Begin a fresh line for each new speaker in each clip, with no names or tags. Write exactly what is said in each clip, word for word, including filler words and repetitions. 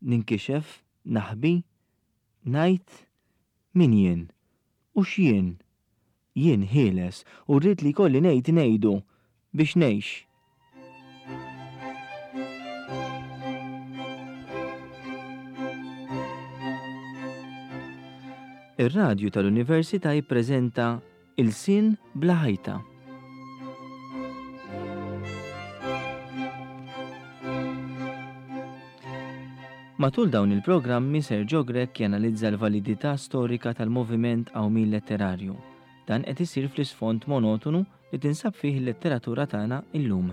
Ninkixef, naħbi, ngħid min jien u x'jien. Jien ħieles u rrid li jkolli ngħid ngħidu biex ngħix. Ir-radju tal-Università jippreżenta Ilsien bla ħajta. Matul dawn il-programmi Sergio Grech janalizza l-validità storika tal-moviment qawmien letterarju. Dan qed isir fl-isfond monotonu li tinsab fih il-letteratura tagħna illum.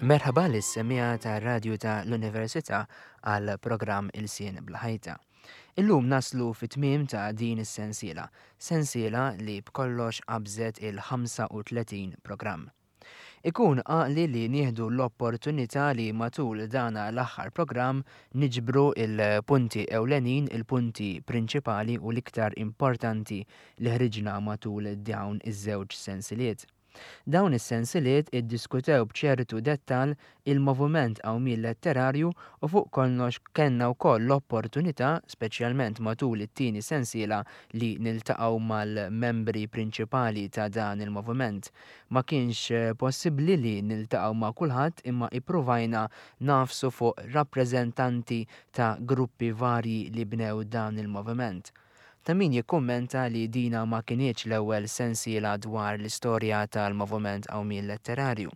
Merħaba lis-semmiegħa tar-radju ta' l-Università għal programm Ilsien bla ħajta. Illum naslu fit-tmiem ta' din is-sensiela, sensiela li b'kollox qabżet il-ħamsa u tletin programm. Ikun għaqli li nieħdu l-opportunità li matul dana l-aħħar programm niġbru il-punti ewlenin, il-punti prinċipali u l-iktar importanti li ħriġna matul dawn iż-żewġ sensiliet. Dawn is-sensiliet iddiskutew b'ċertu dettal il-moviment qawmien letterarju u fuq kollox kellna wkoll l-opportunità, speċjalment matul it-tieni sensiela, li niltaqgħu mal-membri prinċipali ta' dan il-moviment. Ma kienx possibbli li niltaqgħu ma' kulħadd imma ippruvajna nafsu fuq rappreżentanti ta' gruppi varji li bnew dan il-moviment. Ta' min jikkummenta li dina ma kinitx l-ewwel sensiela dwar l-istorja tal-moviment qawmien letterarju.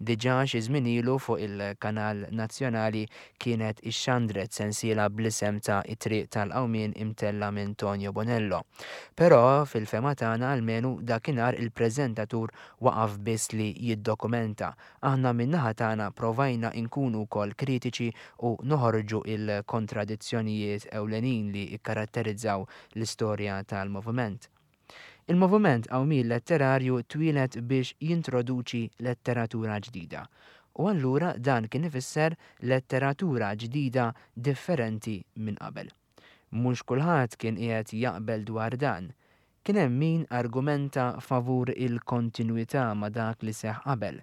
Diġà xi żmien ilu fuq il-Kanal Nazzjonali kienet ixxandret sensiela bl-isem ta' It-Triq tal-Qawmien imtella minn Tonio Bonello. Però fil-fema tagħna almenu dakinhar il-preżentatur waqaf biss li jiddokumenta. Aħna min-naħa tagħna provajna nkunu wkoll kritiċi u noħorġu il-kontradizzjonijiet ewlenin li kkaratterizzaw l-istorja tal-moviment. Il-moviment qawmien letterarju twieled biex jintroduċi letteratura ġdida. U allura dan kien ifisser letteratura ġdida differenti minn qabel. Mhux kulħadd kien qiegħed jaqbel dwar dan. Kien hemm min argumenta favur il-kontinwità ma' dak li seħħ qabel,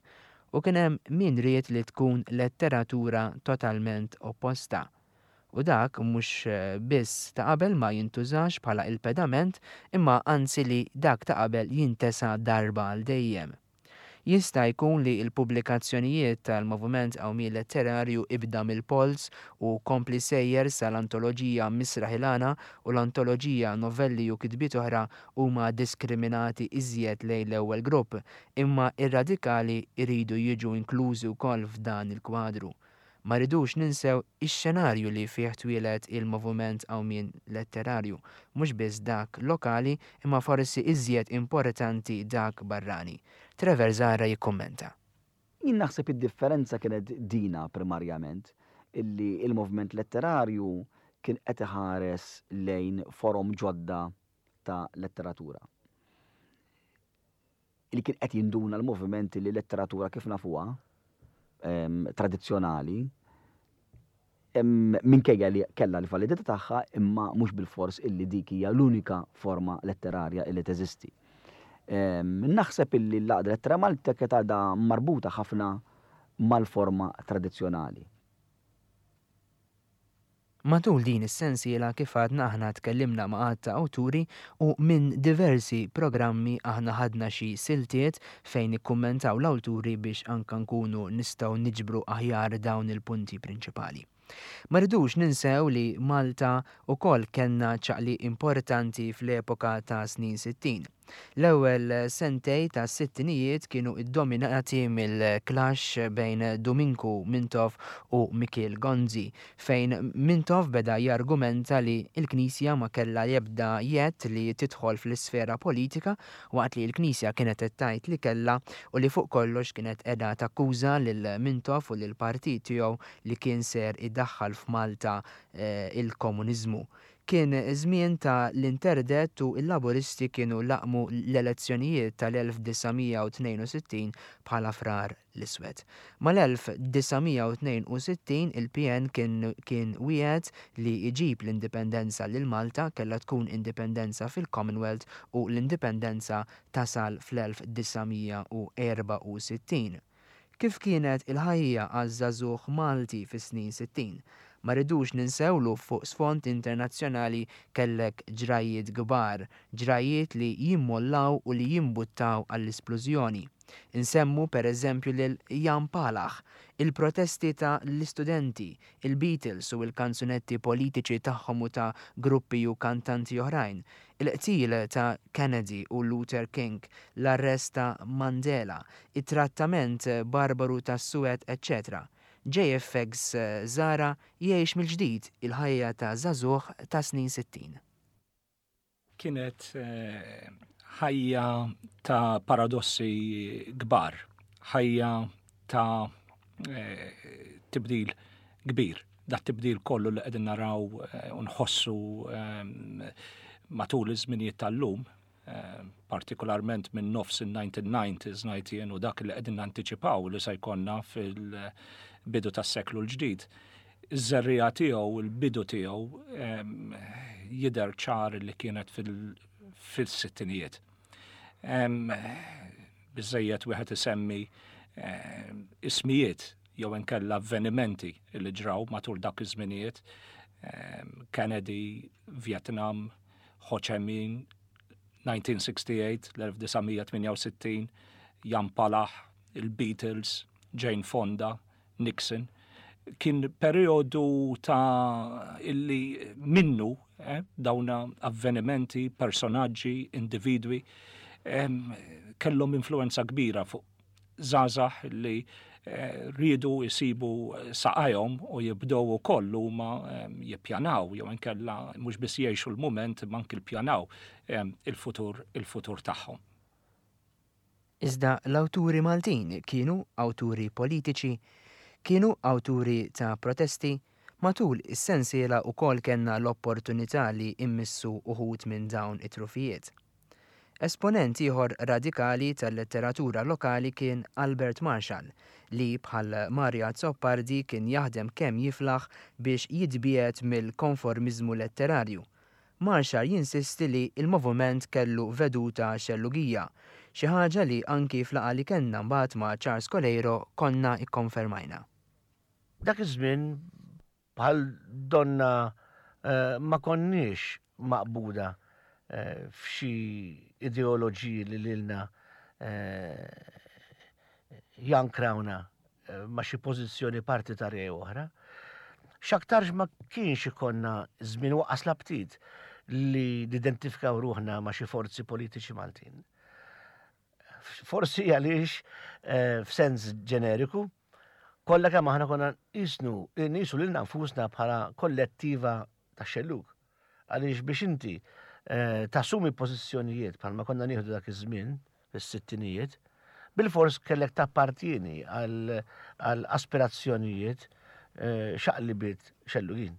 u kien hemm min ried li tkun letteratura totalment opposta. U dak mhux biss ta' qabel ma jintużax bħala il-pedament, imma anzi li dak ta' qabel jintesa darba għal dejjem. Jista' jkun li l-pubblikazzjonijiet tal-moviment qawmien letterarju ibda mill-Polz u kompli sejjer sal-antoloġija Misraħ il-Għana u l-antoloġija Novelli u Kitbiet Oħra huma diskriminati iżjed lejn l-ewwel grupp, imma ir-radikali jridu jiġu inklużi wkoll f'dan il-kwadru. Ma rridux ninsew ix-xenarju li fih twieled il-moviment qawmien letterarju, mhux biss dak lokali imma forsi iżjed importanti dak barrani. Trevor Zahra jikkummenta.
Jien naħseb id-differenza kienet dina primarjament, illi il-moviment letterarju kien qed iħares lejn forom ġodda ta' letteratura. Illi kien qed jinduna l-moviment li letteratura kif nafuha, em, tradizzjonali, em, minkejja li kellha l-validità tagħha, imma mhux bil-fors illi dik hija l-unika forma letterarja illi teżisti. Em, naħseb illi l-Għaqda Lettera Malta kienet għadha marbuta ħafna mal-forma tradizzjonali.
Matul din is-sensiela kif għadna aħna tkellimna ma' għadd ta' awturi u minn diversi programmi aħna ħadna xi siltiet fejn ikkummentaw l-awturi biex anka nkunu nistgħu niġbru aħjar dawn il-punti prinċipali. Ma rridux ninsew li Malta wkoll kellna ċaqli importanti fl-epoka ta' snin sittin. L-ewwel sentej ta' sittinijiet kienu iddominati mill-clash bejn Duminku Mintoff u Mikiel Gonzi, fejn Mintoff beda jargumenta li l-Knisja ma kellha jebda jedd li tidħol fl-isfera politika waqt li l-Knisja kienet qed tgħid li kellha u li fuq kollox kienet qiegħda takkuża lil Mintoff u lil partit tiegħu li kien ser idaħħal f'Malta, eh, il-komuniżmu. Kien żmien ta' l-interdett u l-Laburisti kienu laqmu l-elezzjonijiet tal-elf disa' mija u tnejn u sittin bħala Frar l-Iswed. Mal-elf disa' mija u tnejn u sittin il-P N kien, kien wiegħed li jġib l-indipendenza lil Malta, kellha tkun indipendenza fil-Commonwealth u l-indipendenza tasal fl-elf disa' mija u erba' u sittin. Kif kienet il-ħajja għaż-żagħżugħ Malti fis-snin sittin? Ma rridux ninsewlu fuq sfond internazzjonali kellek ġrajiet kbar, ġrajiet li jimmollaw u li jimbuttaw għall-isplużjoni. Insemmu per eżempju lil Jan Palach, il-protesti ta' l-istudenti, il-Beatles u l-kanzunetti politiċi tagħhom u ta' gruppi u kantanti oħrajn, il-qtil ta' Kennedy u Luther King, l-arrest ta' Mandela, it-trattament barbaru ta' Suwed, eċċetera. J F X Zahra jgħix mill-ġdid il-ħajja ta' żagħżugħ ta' snin sittin.
Kienet, eh, ħajja ta' paradossi kbar, ħajja ta', eh, tibdil kbir. Dat tibdil kollu li qegħdin naraw, eh, u nħossu, ehm, matul iż-żminijiet tal-lum, eh, partikolarment minn nofs in-nineteen nineties ngħid jien u dak li qegħdin nantiċipaw li se jkollna fil-bidu tas-seklu l-ġdid. Iż-żerriegħa tiegħu, il-bidu tiegħu, ehm, jidher ċar li kienet fil-, fil-sittinijiet. Ehm, biżżejjed wieħed isemmi, ehm, ismijiet jew inkella avvenimenti li ġraw matul dak iż-żminijiet. Ehm, Kennedy, Vietnam, Ho Chi Minh, nineteen sixty-eight, l-elf disa' mija tmienja u sittin, Jan Palach, il-Beatles, Jane Fonda, Nixon. Kien periodu ta' illi minnu, eh, dawna avvenimenti, personaġġi, individwi, em, kellhom influenza kbira fuq żgħażagħ li, eh, riedu jsibu saqajhom u jibdew ukoll huma, em, jippjanaw jew inkella mhux biss jgħixu l-mument imma anki l-pjanaw, em, il-futur, il-futur tagħhom.
Iżda l-awturi Maltin kienu awturi politiċi, kienu awturi ta' protesti, matul is-sensiela wkoll kellna l-opportunità li immissu uħud minn dawn it-trufijiet. Esponent ieħor radikali tal-letteratura lokali kien Albert Marshall, li bħal Mario Azzopardi kien jaħdem kemm jiflaħ biex jitbiegħed mill-konformiżmu letterarju. Marshall jinsisti li il-moviment kellu veduta xellugija, xi ħaġa li anki fl-laqgħa li kellna mbagħad ma' Charles Coleiro konna ikkonfermajna.
Dak iż-żmien bħal donna, eh, ma konniex maqbuda, eh, f'xi ideoloġiji li lilna, eh, jankrawna, eh, ma' xi pożizzjoni partitarja jew oħra. X'aktarx ma kienx ikonna żmien waqas l-aptit li nidentifikaw ruħna ma' xi forzi politiċi Maltin. Forsi għaliex, eh, f'sens ġeneriku, kollha kemm aħna konna nqisnu, nqisu lilna nfusna bħala kollettiva ta' xellug. Għaliex biex inti, eh, tassumi pożizzjonijiet bħalma konna nieħdu dak iż-żmien fis-sittinijiet, bilfors kellek tappartieni għal, għal aspirazzjonijiet, eh, xaqlibiet xellugin.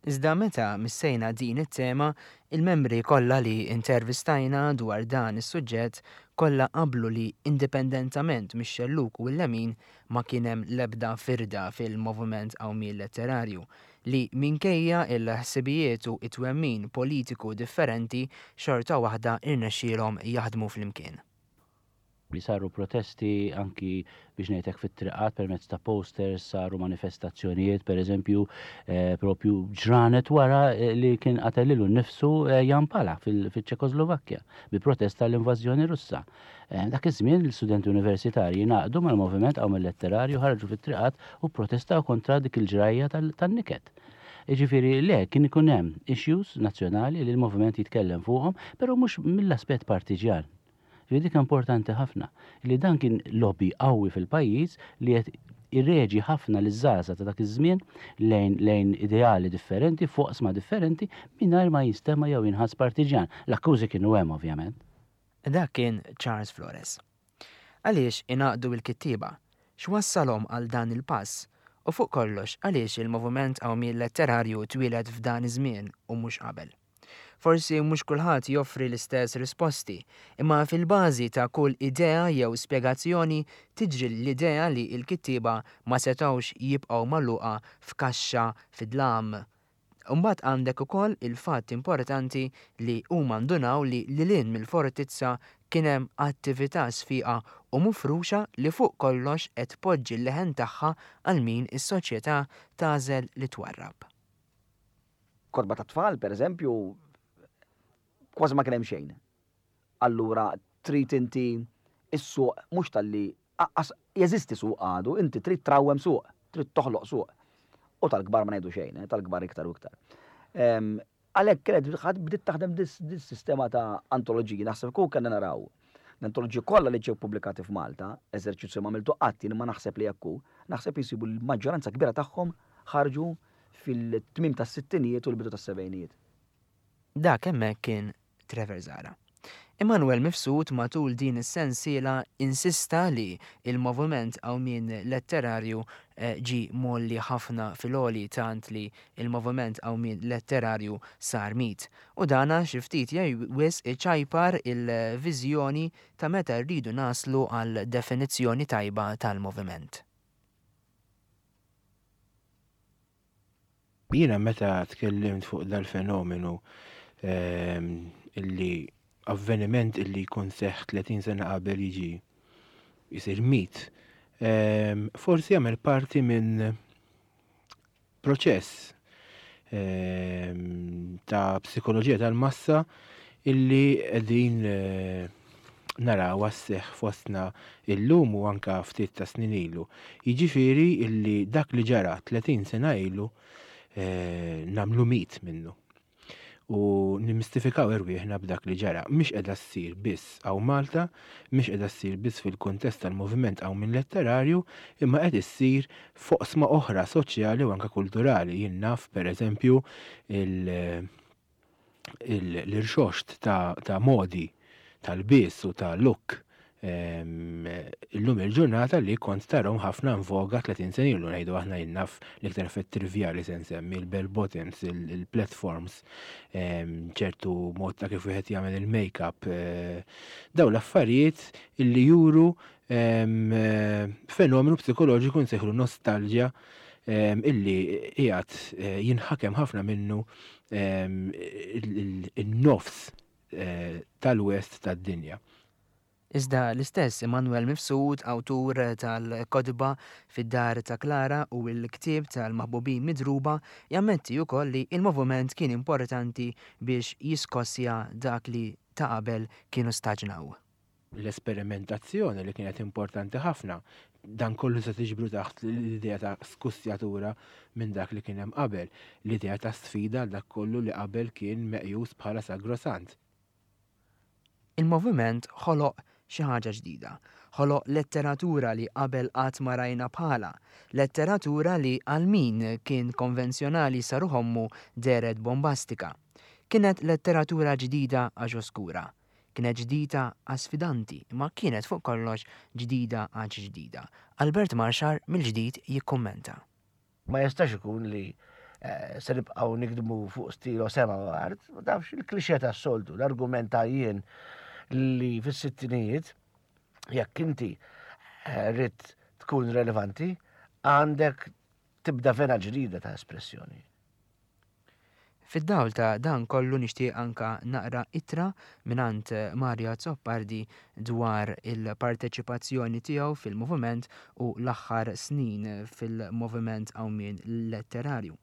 Iżda meta missejna din it-tema, il-membri kollha li intervistajna dwar dan is-suġġett kollha qablu li indipendentament mix-xellug u l-lemin ma kien hemm l-ebda firda fil-moviment qawmien letterarju li minkejja il-ħsibijiet u it-twemmin politiku differenti xorta waħda irnexxielhom jaħdmu flimkien.
Li saru protesti anki biex ngħidlek fit-triqat permezz ta' posters, saru manifestazzjonijiet, per eżempju, eh, propju ġranet wara, eh, li kien qatel lilu nnifsu, eh, Jan Palach fil-, fil-Ċekoslovakkja bi protesta l-invażjoni Russa. Eh, dak iż-żmien l-istudenti universitarji ngħaqdu mal-moviment qawmien letterarju, ħarġu fit-triqat u protestaw kontra dik il-ġrajja tal-, tan-niket. Jiġifieri le, kien ikun hemm issues nazzjonali li l-moviment jitkellem fuqhom, però mhux mill-aspett partiġjan. Ġifieri dik importanti ħafna li dan kien lobby qawwi fil-pajjiż li qed irreġi ħafna liż-żgħażagħ ta' dak iż-żmien lejn, lejn ideali differenti, fuq oqsma differenti, mingħajr ma jinstema' jew jinħass partiġjan. L-akkużi kienu hemm ovvjament.
Dak kien Charles Flores. Għaliex ingħaqdu l-kittieba? X'wassalhom għal dan il-pass? U fuq kollox, għaliex il-moviment Qawmien Letterarju twieled f'dan iż-żmien u mhux qabel? Forsi mhux kulħadd joffri l-istess risposti, imma fil-bażi ta' kull idea jew spjegazzjoni tiġri l-idea li l-kittieba ma setgħux jibqgħu magħluqa f'kaxxa fid-dlam. Imbagħad għandek ukoll il-fatt importanti li huma ndunaw li lil hinn mill-fortizza kien hemm attività sfiqa u mifruxa li fuq kollox qed tpoġġi l-leħen tagħha għal min is-soċjetà tagħżel li twarrab.
Kotba ta' tfal, per eżempju, kważi ma kien hemm xejn. Allura trid inti is-suq mhux talli jeżisti suq għadu, inti trid trawwem suq, trid toħloq suq. U tal-kbar ma ngħidu xejn, eh, tal-kbar iktar u iktar. Għalhekk kienet ħadd bdiet taħdem dis-sistema ta' antoloġiji, naħseb kieku kellna naraw. L-antoloġiji kollha li ġew pubblikati f'Malta, eżerċizzju ma għamiltu qatt jien ma naħseb li jekk hu, naħseb jisibu l-maġġoranza kbira tagħhom ħarġu fil-tmiem tas-sittinijiet u l-bidu tas-sebgħinijiet.
Dak hemmhekk kien Trevor Zahra. Immanuel Mifsud matul din is-sensiela insista li il-moviment Qawmien Letterarju eh, ġi mgħolli ħafna fil-għoli tant li il-moviment Qawmien Letterarju sar mit. U dana xi ftit jew wisq iċajpar il-viżjoni ta' meta rridu naslu għal definizzjoni tajba tal-moviment.
Jiena meta tkellimt fuq dal-fenomenu ehm, illi avveniment illi jkun seħħ tletin sena qabel jiġi jisir mit, ehm, forsi jagħmel parti minn proċess, ehm, ta' psikoloġija tal-massa illi qegħdin, eh, naraw għas-seħħ fostna illum u anka ftit ta' snin ilu. Jiġifieri illi dak li ġara tletin sena ilu, eh, nagħmlu mit minnu. U nimmistifikaw erwieħna b'dak li ġara. Mhix qiegħda ssir biss hawn Malta, mhix qiegħda ssir biss fil-kuntest tal-moviment Qawmien Letterarju, imma qed issir f'oqsma oħra soċjali u anke kulturali. Jien naf pereżempju il-, il-, l-irxoxt ta', ta' modi tal-biss u ta' look, ehm, illum il-ġurnata li kont tarahom ħafna in voga tletin sena ilu, ngħidu aħna jien naf l-iktar effett trivjali se nsemmi il-bell bottoms, il-, il-platforms, ehm, ċertu mod ta' kif wieħed jagħmel il-make-up, eh, daw l-affarijiet illi juru, ehm, fenomenu psikoloġiku nsejħlu nostalġja, ehm, illi qiegħed, eh, jinħakem ħafna minnu, ehm, il-, il-, il-nofs, eh, tal-west tad-dinja.
Iżda l-istess Immanuel Mifsud, awtur tal-kotba fid-dar ta' Klara u l-ktieb tal-Maħbubin Midruba, jammetti wkoll li il-moviment kien importanti biex jiskossja dak li ta' qabel kienu staġnaw.
L-esperimentazzjoni li kienet importanti ħafna, dan kollu se tiġbru taħt l-idea ta' skussjatura minn dak li kien hemm qabel, l-idea ta' sfida għal dak kollu li qabel kien meqjus bħala sagrosant.
Il-moviment ħoloq xi ħaġa ġdida, ħoloq letteratura li qabel qatt ma rajna bħala, letteratura li għal min kien konvenzjonali saru ħommu dehret bombastika. Kienet letteratura ġdida għax oskura, kienet ġdida għax sfidanti, imma kienet fuq kollox ġdida għax ġdida. Albert Marxar mill-ġdid jikkummenta.
Ma jistax ikun li, eh, se nibqgħu nikdmu fuq stilo sema u art, ma tafx il-klixè tas-soltu, l-argument ta' jien li fis-sittinijiet jekk inti, eh, rrid tkun relevanti, għandek tibda vena ġdida ta' espressjoni.
Fid-dawl ta' dan kollu nixtieq anka naqra ittra mingħand Mario Azzopardi dwar il-parteċipazzjoni tiegħu fil-moviment u l-aħħar snin fil-moviment Qawmien Letterarju.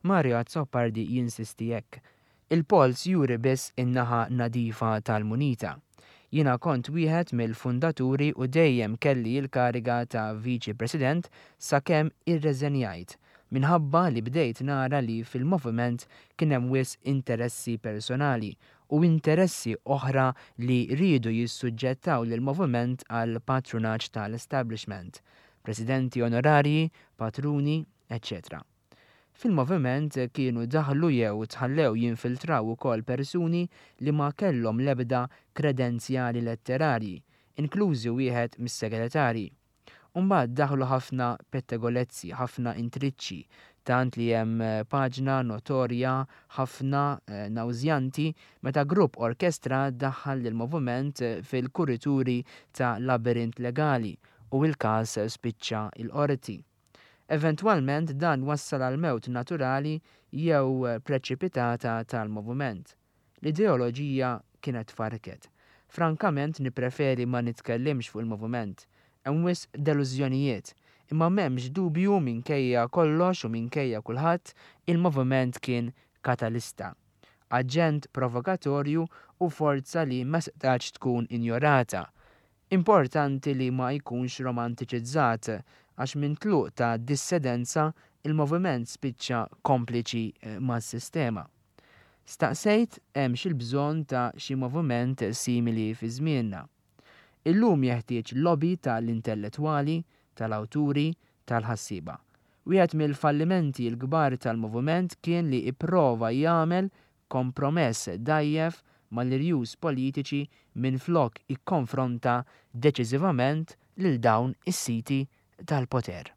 Mario Azzopardi jinsisti hekk: Il-polz juri biss in-naħa nadifa tal-munita. Jiena kont wieħed mill-fundaturi u dejjem kelli l-kariga ta' Viċi President sakemm irreżenjajt, minħabba li bdejt nara li fil-moviment kien hemm wisq interessi personali u interessi oħra li riedu jissuġġettaw lill-moviment għal patrunaġġ tal-establishment, presidenti onorarji, patruni, eċċetera. Fil-moviment kienu daħlu jew tħallew jinfiltraw ukoll persuni li ma kellhom l-ebda kredenzjali letterarji, inklużi wieħed mis-segretarji. Mbagħad daħlu ħafna pettegolezzi, ħafna intriċċi, tant li hemm eh, paġna notorja ħafna eh, nawżjanti meta grupp orkestra daħħal lill-moviment eh, fil-kurituri ta' labirint legali u l-każ spiċċa il-qorti. Eventwalment dan wassal għal mewt naturali jew preċipitata tal-moviment. L-ideoloġija kienet farket. Frankament nippreferi ma nitkellimx fuq il-moviment. Hemm wisq delużjonijiet, imma m'hemmx dubju minkejja kollox u minkejja kulħadd il-moviment kien katalista. Aġent provokatorju u forza li ma setax tkun injorata. Importanti li ma jkunx romantiċizzat għax minn tluq ta' dissidenza il-moviment spiċċa kompliċi eh, mas-sistema. Staqsejt hemmx il-bżonn ta' xi moviment simili fi żmienna. Illum jeħtieġ lobby tal-intellettwali, tal-awturi, tal-ħassiba. Wieħed mill-fallimenti l-kbar tal-moviment kien li ipprova jagħmel kompromess dgħajjef mal-irjus politiċi minflok ikkonfronta deċiżivament lil dawn is-siti tal-poter.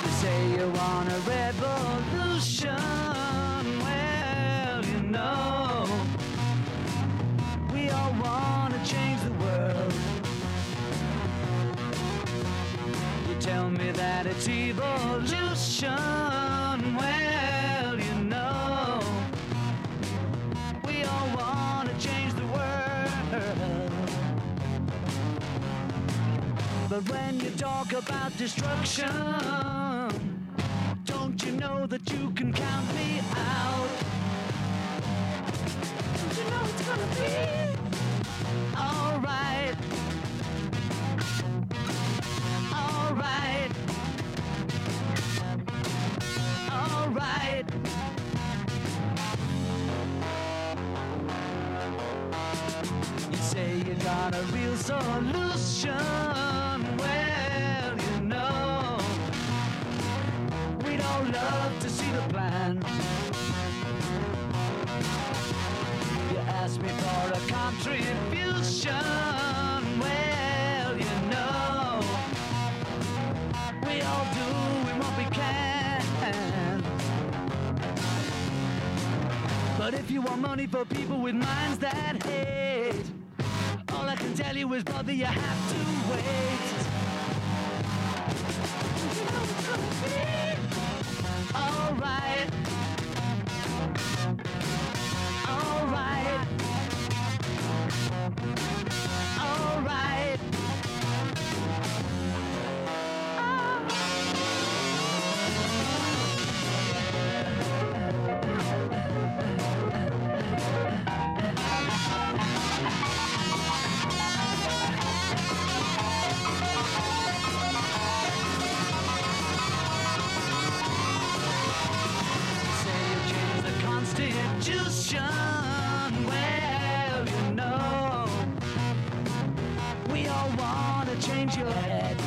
You say you want a revolution. Well, you know, we all want to change the world. You tell me that it's evolution. Well, you know, we all want to change the world. But when you talk about destruction, don't you know that you can count me out? Don't you know it's gonna be alright? Alright. Alright. You say you got a real solution. Well, you know, we'd all love to see the plan. You ask me for a contribution. Well, you know, we all doing what we can. But if you want money for people with minds that hate, all I can tell you is, brother, you have to wait. Don't you know it's gonna be alright? Alright. Alright. Say you change the Constitution. Well, you know, we all want to change your head.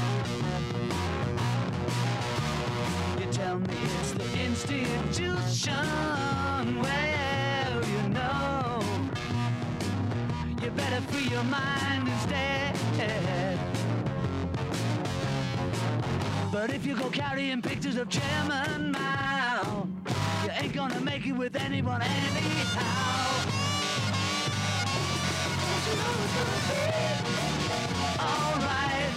You tell me it's the institution. Well, you know, you better free your mind instead. But if you go carrying pictures of Chairman Mao, you ain't gonna make it with anyone anyhow. Don't you know it's gonna be alright?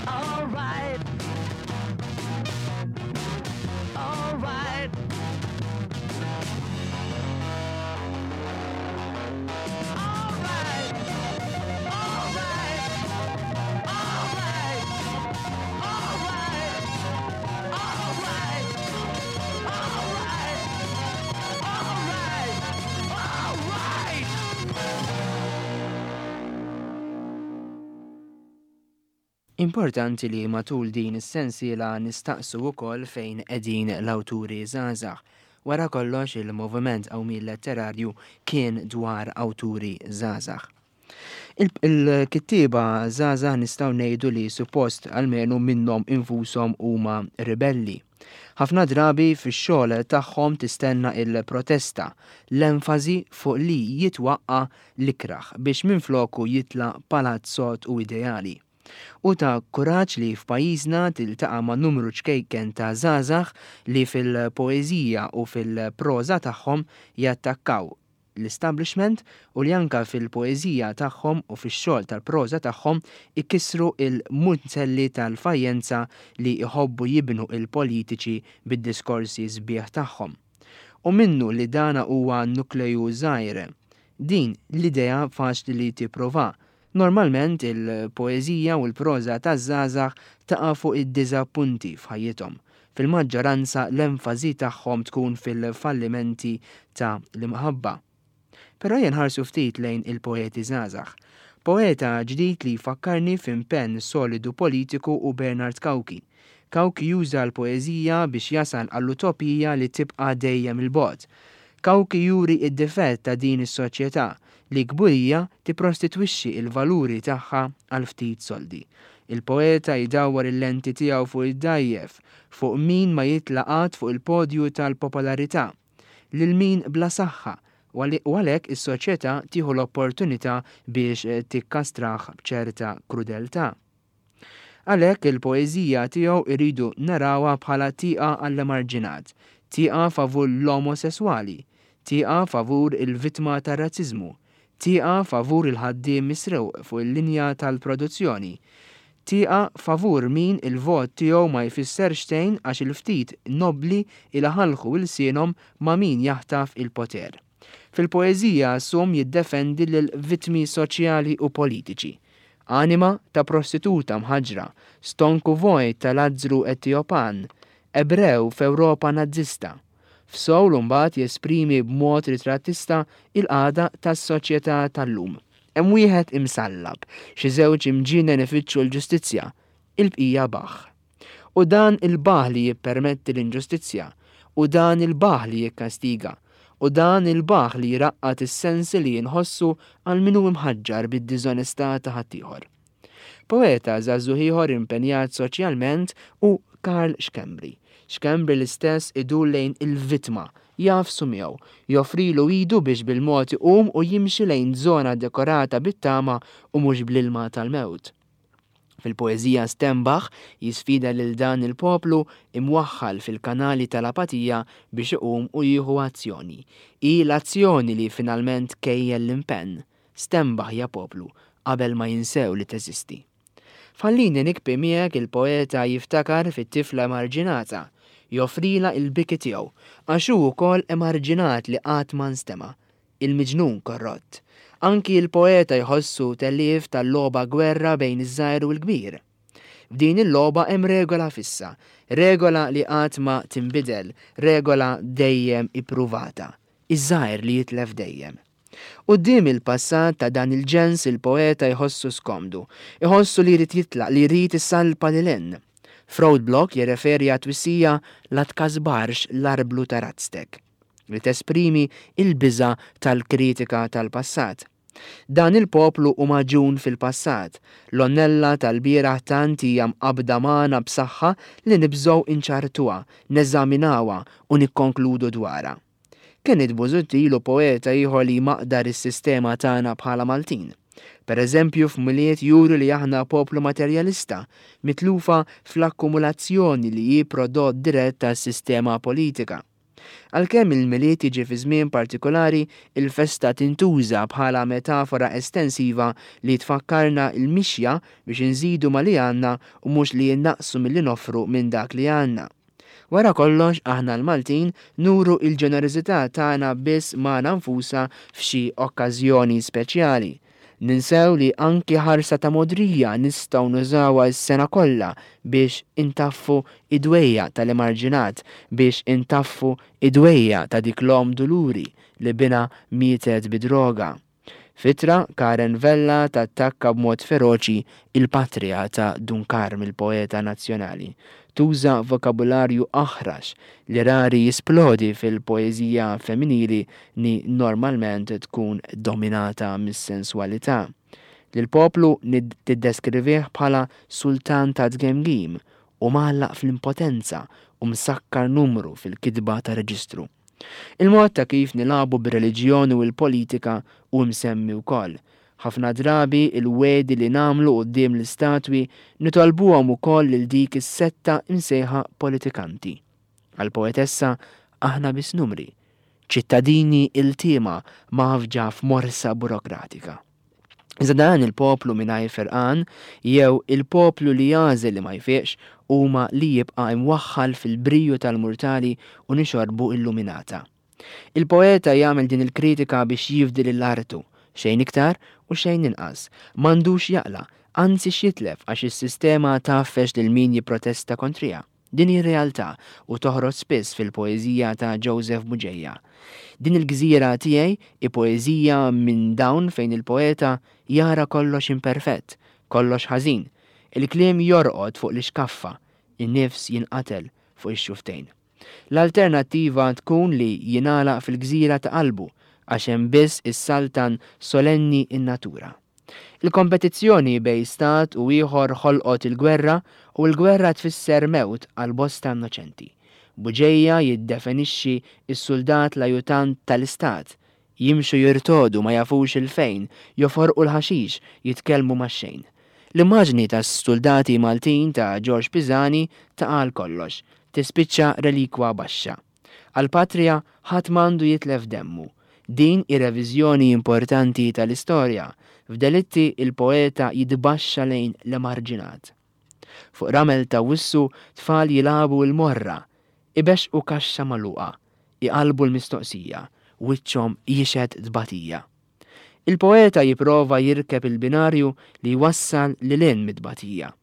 Alright. Alright. Alright. Alright. Alright. Alright. Alright. Alright. Alright. Alright.
Importanti li matul din is-sensiela nistaqsu wkoll fejn qegħdin l-awturi żgħażagħ. Wara kollox il-moviment qawmien letterarju kien dwar awturi żgħażagħ. Il-kittieba żgħażagħ nistgħu ngħidu li suppost almenu minnhom infushom huma ribelli. Ħafna drabi fix-xogħol tagħhom tistenna il-protesta, l-enfasi fuq li jitwaqqa l-ikraħ biex minfloku jitla' palazz sod u ideali. U ta' kuraġġ li f'pajjiżna tiltaqa' ma' numru ċkejken ta' żgħażagħ li fil-poeżija u fil-proża tagħhom jattakkaw l-establishment u li anka fil-poeżija tagħhom u fix-xogħol tal-proża tagħhom ikissru il-munzelli tal-fajjenza li jħobbu jibnu il-politiċi bid-diskorsi sbieħ tagħhom. U minnu li dana huwa nukleju żgħir. Din l-idea faċli li tipprova. Normalment il-poeżija u l-proża taż-żgħażagħ taqa' fuq id-diżappunti f'ħajjithom. Fil-maġġoranza l-enfasi tagħhom tkun fil-fallimenti ta' l-imħabba. Però ejja nħarsu ftit lejn il-poeti żgħażagħ. Poeta ġdid li jfakkarni f'impenn solidu politiku hu Bernard Cauchi. Cauchi juża l-poeżija biex jasal għall-utopija li tibqa' dejjem il-bogħod. Cauchi juri id-difett ta' din is-soċjetà li kburija tipprostitwixxi il-valuri tagħha għal ftit soldi. Il-poeta jdawwar il-lenti tiegħu fuq id-dgħajjef, fuq min ma jitla' qatt fuq il-podju tal-popolarità, lil min bla saħħa, u għalhekk is-soċjetà tieħu l-opportunità biex tikkastrah b'ċerta krudeltà. Għalhekk il-poeżija tiegħu iridu narawha bħala tieqa għall-emarġinat, tieqa favur l-omosesswali, tieqa favur il-vittma tar-razziżmu, tieqa favur il-ħaddiem misrewq fuq il-linja tal-produzzjoni, tieqa favur min il-vot tiegħu ma jfisser xejn għax il-ftit nobli ilaħalħu ilsienhom ma' min jaħtaf il-poter. Fil-poeżija Sum jiddefendi lil vittmi soċjali u politiċi. Anima ta' prostituta mħaġra, stonku vojt ta' Lazzru Etiopan, Ebrew f'Ewropa nazzista. F'Soul mbagħad jesprimi b'mod ritrattista il-qagħda tas-soċjetà tal-lum. Hemm wieħed imsallab, xi żewġ imġinen ifittxu l-ġustizzja, il-bqija baħ. U dan il-baħ li jippermetti l-inġustizzja, u dan il-baħ li jikkastiga, u dan il-baħ li jraqqat is-sensi li jinħossu għal min hu imħaġġar bid-diżonestà ta' ħaddieħor. Poeta żagħżugħ ieħor impenjat soċjalment hu Karl Schembri. Schembri l-istess idur lejn il-vittma, jagħfsu miegħu, joffrilu idu biex bil-mod iqum u jimxi lejn żona dekorata bit-tama u mhux bl-ilma tal-mewt. Fil-poeżija Stenbaħ jisfida lil dan il-poplu imwaħħal fil-kanali tal-apatija biex iqum u jieħu azzjoni. Hi l-azzjoni li finalment kejjel l-impenn. Stenbaħ ja poplu qabel ma jinsew li teżisti. F'Ħallini Nibki Miegħek il-poeta jiftakar fit-tifla emarġinata, joffrila il-biki tiegħu, għax hu wkoll emarġinat li qatt ma nstema', il-miġnun korrott. Anki il-poeta jħossu tellief tal-logħba gwerra bejn iż-żgħir u l-kbir. F'din il-logħba hemm regola fissa, regola li qatt ma tinbidel, regola dejjem ippruvata, iż-żgħir li jitlef dejjem. Quddiem il-passat ta' dan il-ġens il-poeta jħossu skomdu, jħossu li jrid jitlaq, li jrid isalpa lil hinn. F'Roadblock jirreferi għat-twissija la tkasbarx l-arblu ta' razztek, li tesprimi il-biża tal-kritika tal-passat. Dan il-poplu hu magħġun fil-passat, l-onnella tal-bieraħ tant hija mqabda magħna b'saħħa li nibżgħu inċartuha, neżaminawha u nikkonkludu dwarha. Kenneth Busuttil hu poeta ieħor li maqdar is-sistema tagħna bħala Maltin. Per eżempju, f'Milied juru li aħna poplu materjalista, mitlufa fl-akkumulazzjoni li hi prodott dirett tas-sistema politika. Għalkemm il-Milied jiġi fi żmien partikolari, il-festa tintuża bħala metafora estensiva li tfakkarna il-mixja biex inżidu ma li għandna u mhux li jinnaqsu milli noffru minn dak li għandna. Wara kollox, aħna l-Maltin nuru il-ġenerożità tagħna biss magħna nfusna f'xi okkażjoni speċjali. Ninsew li anki ħarsa ta' modrija nistgħu nużawha s-sena kollha biex intaffu id-dwejja tal-emarġinat, biex intaffu id-dwejja ta' dik l-om duluri li binha mietet bid-droga. F'ittra, Karen Vella tattakka b'mod feroċi il-patria ta' Dun Karm il-poeta nazzjonali. Tuża vokabularju aħrax li rari jisplodi fil-poeżija femminili ni normalment tkun dominata mis-sensualità. Lill-poplu tiddeskrivih bħala sultan ta' tgemgim u mgħallaq fl-impotenza u msakkar numru fil-kitba ta' reġistru. Il-mod ta' kif nilagħbu bir-reliġjon u l-politika hu msemmi wkoll. Ħafna drabi il-wegħdi li nagħmlu quddiem l-istatwi nitolbuhom ukoll lil dik is-setta imsejħa politikanti. Għall-poetessa aħna biss numri, ċittadini iltiema mgħaffġa f'morsa burokratika. Iżda dan il-poplu mingħajr ferqan jew il-poplu li jagħżel li ma jfiqx huma li jibqa' imwaħħal fil-briju tal-murtali u nixorbu illuminata. Il-poeta jagħmel din il-kritika biex jifdi lil artu, xejn iktar u xejn inqas. M'għandux jaqla', anzi x'jitlef għax is-sistema tgħaffex lil min jipprotesta kontriha. Din hi realtà u toħroġ spiss fil-poeżija ta' Joseph Bugeja. Din il-gżira tiegħi hi poeżija minn dawn fejn il-poeta jara kollox imperfett, kollox ħażin. Il-kliem jorqod fuq l-ixkaffa, in-nifs jinqatel fuq ix-xuftejn. L-alternattiva tkun li jingħalaq fil-gżira ta' qalbu għax hemm biss is-saltan solenni in-natura. Il-kompetizzjoni bejn stat u ieħor ħolqot il-gwerra u l-gwerra tfisser mewt għal bosta innoċenti. Bugeja jiddefinixxi s-suldat l-ajutant tal-istat. Jimxu jirtodu ma jafux il-fejn, joforqu l-ħaxix, jitkellmu max-xejn. L-immaġni tas-soldati Maltin ta' Ġorġ Pisani taqal kollox, tispiċċa relikwa baxxa. Għal-patrija ħadd m'għandu jitlef demmu. Din ir-reviżjoni importanti tal-istorja. F'delitti il-poeta jitbaxxa lejn l-emarġinat. Fuq ramel ta' wissu tfal jilagħbu l-morra, ibexqu kaxxa magħluqa, iqalbu l-mistoqsija, wiċċhom jixhed tbatija. Il-poeta jipprova jirkeb il-binarju li jwassal lil hinn mit-tbatija,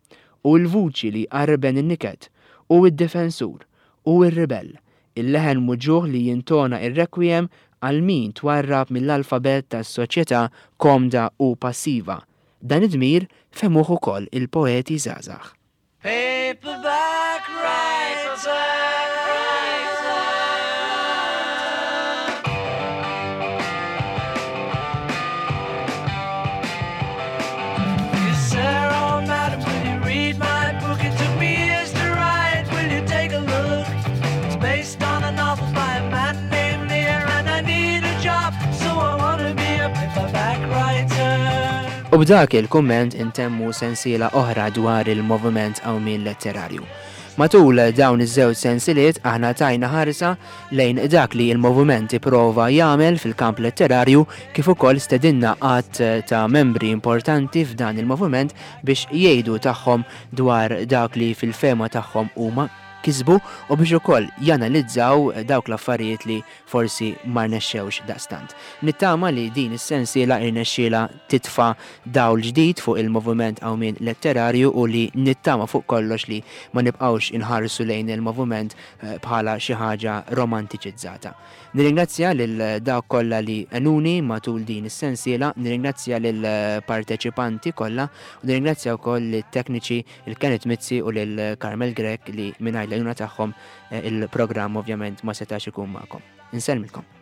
u l-vuċi li jqarben in-niket, u d-difensur, u r-ribell, il-leħen muġugħ li jintona ir-requiem għal min twarrab mill-alfabet tas-soċjetà komda u passiva. Dan id-dmir fehmuh ukoll il-poeti żgħażagħ.
Paperback writer. Dear sir or madam, will you read my book? It took me years to write. Will you take a look? It's based on a novel by a man named Lear, and I need a job, so I wanna be a paperback writer.
U b'dak il-kumment intemmu sensiela oħra dwar il-moviment Qawmien Letterarju. Matul dawn iż-żewġ sensiliet aħna tajna ħarsa lejn dak li il-moviment ipprova jagħmel fil-kamp letterarju kif ukoll stedinna għadd ta' membri importanti f'dan il-moviment biex jgħidu tagħhom dwar dak li fil-fehma tagħhom huma kisbu u biex ukoll janalizzaw dawk l-affarijiet li forsi ma rnexxewx daqstant. Nittama li din is-sensiela irnexxiela titfa' dawl ġdid fuq il-moviment Qawmien Letterarju u li nittama fuq kollox li ma nibqgħux inħarsu lejn il-moviment bħala xi ħaġa romantiċizzata. Nirringrazzja lil dawk kollha li għenuni matul din is-sensiela, nirringrazzja lil parteċipanti kollha u nirringrazzja wkoll lit-tekniċi il Kenneth Mizzi u lil Carmel Grech li mingħajr l-għajnuna tagħhom il-programm ovvjament ma setax ikun magħkom. Insellmilkom.